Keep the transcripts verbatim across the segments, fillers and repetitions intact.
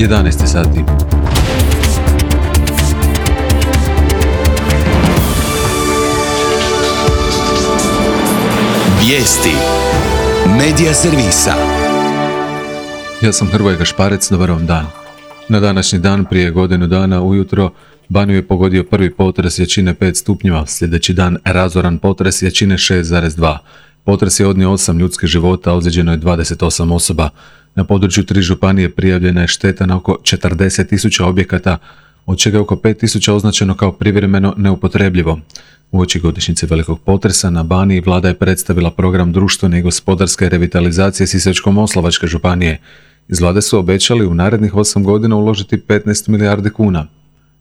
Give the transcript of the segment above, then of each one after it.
jedanaest sati. Vijesti Medija servisa. Ja sam Hrvoje Gašparec, dobar vam dan. Na današnji dan prije godinu dana ujutro Baniju je pogodio prvi potres jačine pet stupnjeva, sljedeći dan razoran potres jačine šest zarez dva. Potres je odnio osam ljudskih života, ozlijeđeno je dvadeset osam osoba. Na području tri županije prijavljena je šteta na oko četrdeset tisuća objekata, od čega je oko pet tisuća označeno kao privremeno neupotrebljivo. Uoči godišnjice velikog potresa na Baniji vlada je predstavila program društvene i gospodarske revitalizacije Sisačko-moslavačke županije. Iz vlade su obećali u narednih osam godina uložiti petnaest milijardi kuna.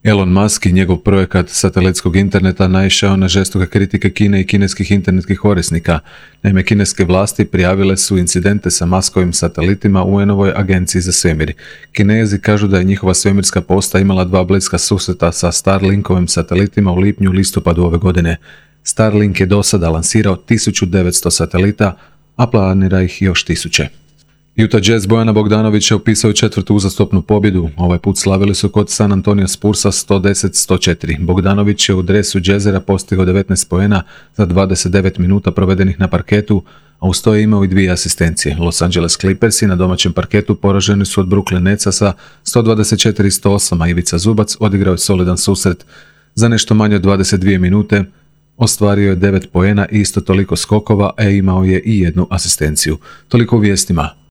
Elon Musk i njegov projekat satelitskog interneta naišao na žestoke kritike Kine i kineskih internetskih korisnika. Naime, kineske vlasti prijavile su incidente sa Muskovim satelitima u U N-ovoj agenciji za svemir. Kinezi kažu da je njihova svemirska postaja imala dva bliska susreta sa Starlinkovim satelitima u lipnju i listopadu ove godine. Starlink je do sada lansirao tisuću devetsto satelita, a planira ih još tisuće. Utah Jazz Bojana Bogdanovića upisao četvrtu uzastopnu pobjedu. Ovaj put slavili su kod San Antonio Spursa sto deset sto četiri. Bogdanović je u dresu Jazzera postigao devetnaest poena za dvadeset devet minuta provedenih na parketu, a uz to je imao i dvije asistencije. Los Angeles Clippersi na domaćem parketu poraženi su od Brooklyn Netsa sa sto dvadeset četiri sto osam, a Ivica Zubac odigrao je solidan susret. Za nešto manje od dvadeset dvije minute ostvario je devet poena i isto toliko skokova, a imao je i jednu asistenciju. Toliko u vijestima.